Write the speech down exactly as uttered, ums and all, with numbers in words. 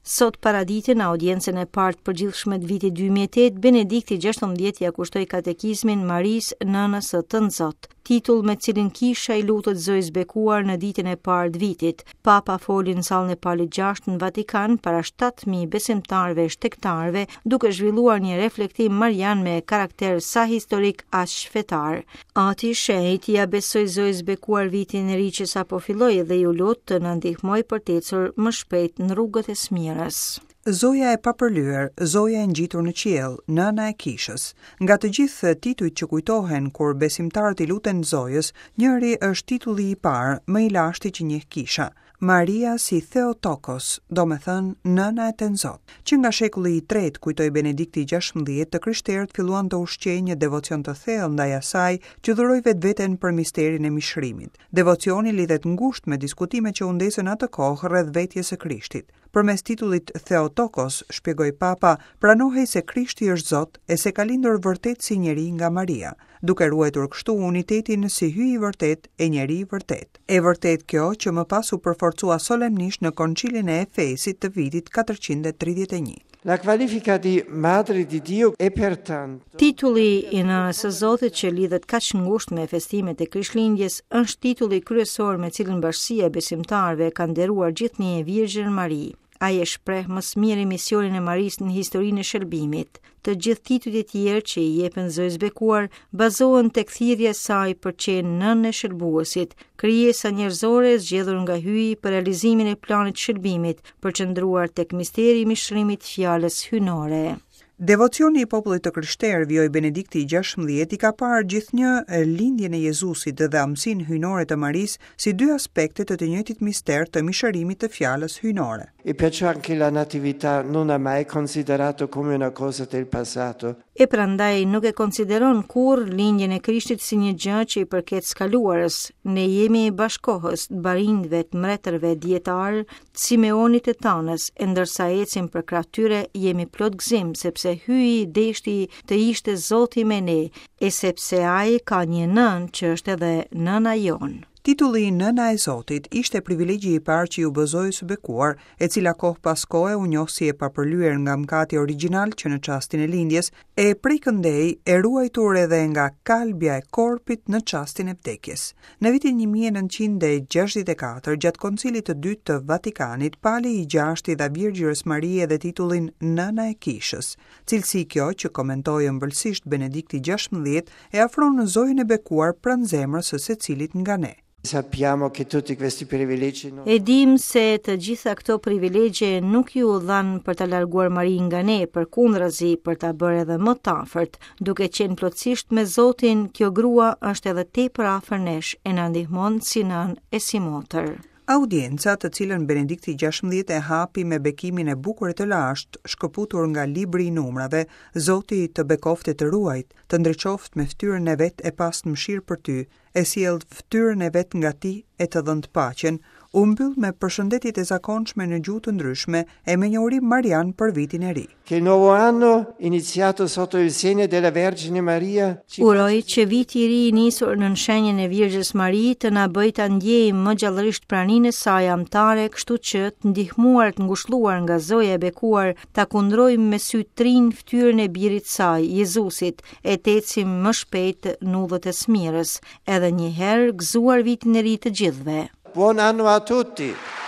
Sot paradite, në audiencën e parë të përgjithshme të vitit dy mijë e tetë, Benedikti gjashtëmbëdhjetë ia kushtoi katekizmin Marisë, nënës së Tënzot, titull me cilin kisha i lutet Zojës Bekuar në ditën e parë të vitit. Papa foli në sallën e Palit gjashtë në Vatikan para shtatë mijë besimtarëve e shtegtarëve, duke zhvilluar një reflektim marian me karakter sa historik aq fetar. Ati i Shenjtë ia besoi Zojës Bekuar vitin e ri që sapo filloi dhe iu lut të na ndihmojë për të ecur më shpejt në rrugët e së mirës. Zoja e papërlyer, Zoja e ngjitur në qiell, nëna e kishës. Nga të gjithë titujt që kujtohen kur besimtarët i luten Zojës, njëri është titulli i parë, më i lashti që njeh kisha. Maria si Theotokos, do me thënë nëna e Tënzot. Që nga shekulli i tretë, kujtoi Benedikti gjashtëmbëdhjetë, të krishterët filluan të ushqejnë një devocion të thellë ndaj asaj që dhuroi vetveten për misterin e mishrimit. Devocioni lidhet ngushtë me diskutimet që u ndezën atë kohë rreth vetjes së Krishtit. Përmes titullit Theotokos, shpjegoi Papa, pranohej se Krishti është Zot e se ka lindur vërtet si njeri nga Maria, duke ruajtur kështu unitetin si Hyj i vërtet e njeri i vërtet. E vërtet kjo që më pas u përforcua solemnisht në Koncilin e Efesit të vitit katërqind e tridhjetë e një. La qualifica di Madre di Dio è pertanto Titulli i nënës së Zotit, që lidhet kaq ngushtë me festimet e Krishtlindjes, është titulli kryesor me cilin bashkësia e besimtarëve ka nderuar gjithnjë Virgjën Mari. Ai e shpreh më së miri misionin e Marisë në historinë e shëlbimit. Të gjithë titujt e tjerë që i jepen Zojës Bekuar bazohen tek thirrja e saj për qenë nënë e shëlbuesit, krijesa njerëzore e zgjedhur nga Hyji për realizimin e planit të shëlbimit, përqendruar tek misteri i mishrimit të fjalës hyjnore. Devocioni i popullit të krishterë, vijoi Benedikti i gjashtëmbëdhjetë, i ka parë gjithnjë lindjen e Jezusit dhe amësinë hyjnore të Marisë si dy aspekte të të njëjtit mister të mishërimit të fjalës hyjnore. E perciò anche la natività non ha mai considerato come una cosa del passato. E prandaj nuk e konsideron kurrë lindjen e Krishtit si një gjë që i përket së kaluarës. Ne jemi bashkohës të barinjve, të mbretërve, dijetarë, të Simeonit e Tanës, e ndërsa ecim përkrah tyre jemi plot gëzim, sepse Hyji deshti të ishte Zoti me ne, e sepse ai ka një nënë që është edhe nëna jonë. Titulli Nëna e Zotit ishte privilegji i parë që iu bë Zojës së Bekuar, e cila kohë pas kohe u njoh si e papërlyer nga mëkati origjinal që në çastin e lindjes, e prej këndej e ruajtur edhe nga kalbja e korpit në çastin e vdekjes. Në vitin një mijë e nëntëqind e gjashtëdhjetë e katër, gjatë Koncilit të Dytë të Vatikanit, Pali i gjashtë i dha Virgjërës Marie edhe titullin Nëna e Kishës. Cilësi kjo që komentoi ëmbëlsisht Benedikti gjashtëmbëdhjetë e afron në Zojën e Bekuar pranë zemrës së secilit nga ne. Sappiamo che tutti questi privilegi non E dim se të gjitha këto privilegje nuk iu dhanë për ta larguar Marinë nga ne, përkundrazi për ta bërë edhe më të afërt. Duke qenë plotësisht me Zotin, kjo grua është edhe tepër afër nesh e na ndihmon si nënë e si motër. Audienca, të cilën Benedikti gjashtëmbëdhjetë e hapi me bekimin e bukur e të lashtë, shkëputur nga libri i numrave, "Zoti të bekoftë e të ruajt, të ndriçoftë me fytyrën e vet e pastë mëshirë për ty, e sjell fytyrën e vet nga ti e të dhëntë paqen", u mbyll me përshëndetjet e zakonshme në gjuhë të ndryshme e me një urim marian për vitin e ri. Che il nuovo anno, iniziato sotto il segno della Vergine Maria, ci Uroj që viti i ri i nisur nën shenjën e Virgjës Mari të na bëjë ta ndjejmë më gjallërisht praninë e saj amtare, kështu që të ndihmuar, të ngushëlluar nga Zoja e Bekuar, ta kundrojmë me sy të rinj fytyrën e birit saj, Jezusit, e të ecim më shpejt në udhët e së mirës. Edhe një herë, gëzuar vitin e ri të gjithëve. Buon anno a tutti!